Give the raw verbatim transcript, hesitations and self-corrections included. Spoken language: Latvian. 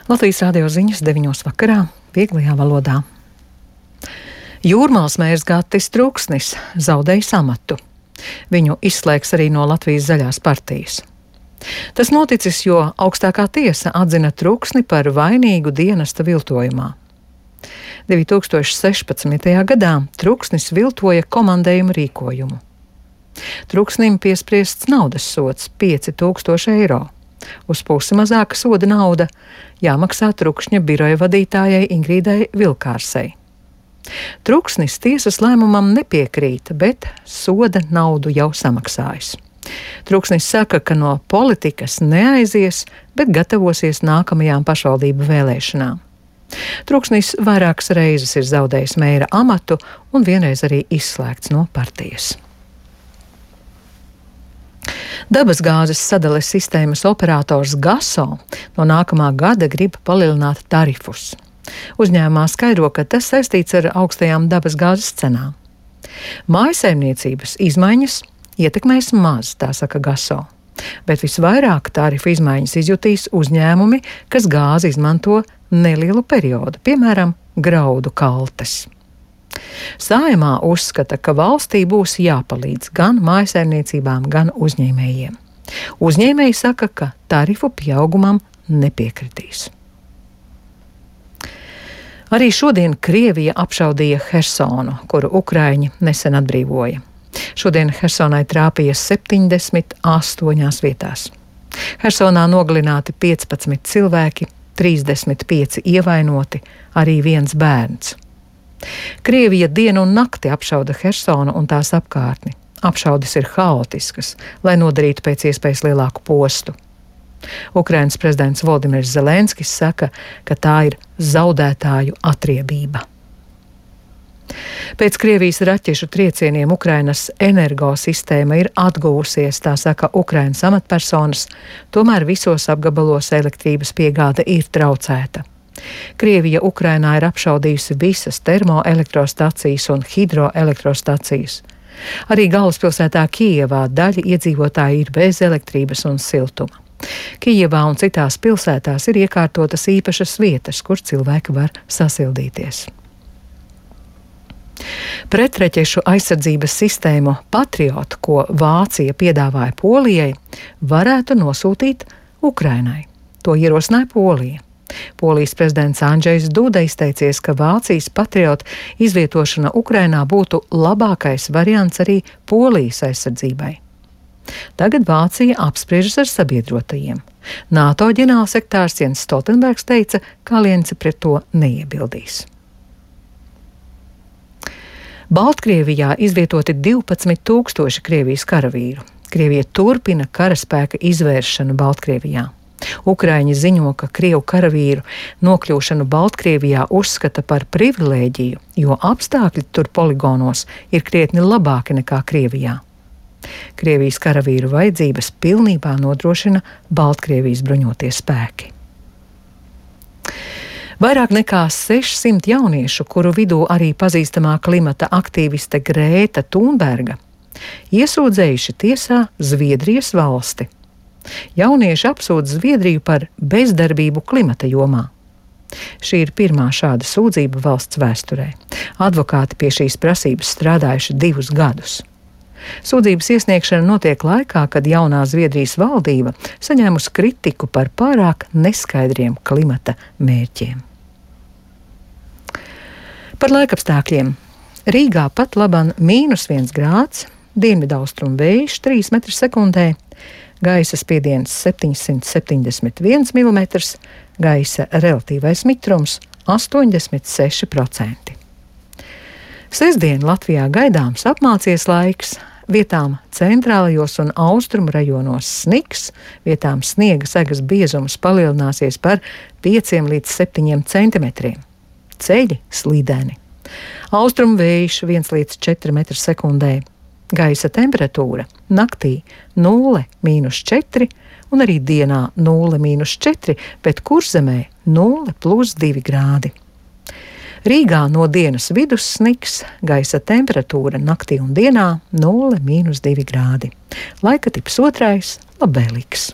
Latvijas radio ziņas deviņos vakarā vieglajā valodā. Jūrmālas mērs Gattis Truksnis zaudējis amatu. Viņu izslēgs arī no Latvijas zaļās partijas. Tas noticis, jo augstākā tiesa atzina Truksni par vainīgu dienesta viltojumā. divi tūkstoši sešpadsmitajā gadā Truksnis viltoja komandējumu rīkojumu. Truksnim piespriests naudas sods pieci tūkstoši eiro. Uz pusi mazāka soda nauda jāmaksā Trukšņa biroja vadītājai Ingrīdai Vilkārsei. Truksnis tiesas lēmumam nepiekrīt, bet soda naudu jau samaksājis. Truksnis saka, ka no politikas neaizies, bet gatavosies nākamajām pašvaldību vēlēšanām. Truksnis vairākas reizes ir zaudējis mēra amatu un vienreiz arī izslēgts no partijas. Dabasgāzes sadales sistēmas operators Gaso no nākamā gada grib palielināt tarifus. Uzņēmumā skaidro, ka tas saistīts ar augstajām dabasgāzes cenām. Mājsaimniecības izmaiņas ietekmēs maz, tā saka Gaso, bet visvairāk tarifu izmaiņas izjutīs uzņēmumi, kas gāzi izmanto nelielu periodu, piemēram, graudu kaltes. Saeimā uzskata, ka valstī būs jāpalīdz gan mājsaimniecībām, gan uzņēmējiem. Uzņēmēji saka, ka tarifu pieaugumam nepiekritīs. Arī šodien Krievija apšaudīja Hersonu, kuru Ukraiņi nesen atbrīvoja. Šodien Hersonai trāpīja septiņdesmit astoņās vietās. Hersonā nogalināti piecpadsmit cilvēki, trīsdesmit pieci ievainoti, arī viens bērns. Krievija dienu un nakti apšauda Hersonu un tās apkārtni. Apšaudes ir haotiskas, lai nodarītu pēc iespējas lielāku postu. Ukrainas prezidents Voldimirs Zelenskis saka, ka tā ir zaudētāju atriebība. Pēc Krievijas raķešu triecieniem Ukrainas energosistēma ir atguvusies, tā saka Ukrainas amatpersonas, tomēr visos apgabalos elektrības piegāde ir traucēta. Krievija Ukrainā ir apšaudījusi visas termoelektrostacijas un hidroelektrostacijas. Arī galvaspilsētā Kijevā daļa iedzīvotāji ir bez elektrības un siltuma. Kijevā un citās pilsētās ir iekārtotas īpašas vietas, kur cilvēki var sasildīties. Pretreķešu aizsardzības sistēmu Patriot, ko Vācija piedāvāja Polijai, varētu nosūtīt Ukrainai. To ierosināja Polija. Polijas prezidents Andžejs Duda izteicies, ka Vācijas Patriot izvietošana Ukrainā būtu labākais variants arī Polijas aizsardzībai. Tagad Vācija apspriežas ar sabiedrotajiem. NATO ģenerālsekretārs Jens Stoltenbergs teica, ka alianse pret to neiebildīs. Baltkrievijā izvietoti divpadsmit tūkstoši Krievijas karavīru. Krievija turpina karaspēka izvēršanu Baltkrievijā. Ukraiņi ziņo, ka Krievu karavīru nokļūšanu Baltkrievijā uzskata par privilēģiju, jo apstākļi tur poligonos ir krietni labāki nekā Krievijā. Krievijas karavīru vajadzības pilnībā nodrošina Baltkrievijas bruņotie spēki. Vairāk nekā sešsimt jauniešu, kuru vidū arī pazīstamā klimata aktīviste Grēta Thunberga, iesūdzējuši tiesā Zviedrijas valsti. Jaunieši apsūdz Zviedriju par bezdarbību klimata jomā. Šī ir pirmā šāda sūdzība valsts vēsturē. Advokāti pie šīs prasības strādājuši divus gadus. Sūdzības iesniegšana notiek laikā, kad jaunā Zviedrijas valdība saņēmusi kritiku par pārāk neskaidriem klimata mērķiem. Par laikapstākļiem. Rīgā pat laban mīnus viens grāds, dienvidaustrumu vējš trīs metri sekundē, gaisa spiediens septiņsimt septiņdesmit viens milimetrs, gaisa relatīvais mitrums astoņdesmit seši procenti. Sestdien Latvijā gaidāms apmācies laiks, vietām centrālajos un austrumu rajonos sniks, vietām sniega segas biezums palielināsies par pieciem līdz septiņiem centimetriem. Ceļi slīdeni. Austrumu vējš viens līdz četri metri sekundē. Gaisa temperatūra naktī nulle mīnus četri un arī dienā nulle mīnus četri, bet Kurzemē nulle plus divi grādi. Rīgā no dienas vidus sniks, gaisa temperatūra naktī un dienā nulle mīnus divi grādi. Laika tips otrais labvēlīgs.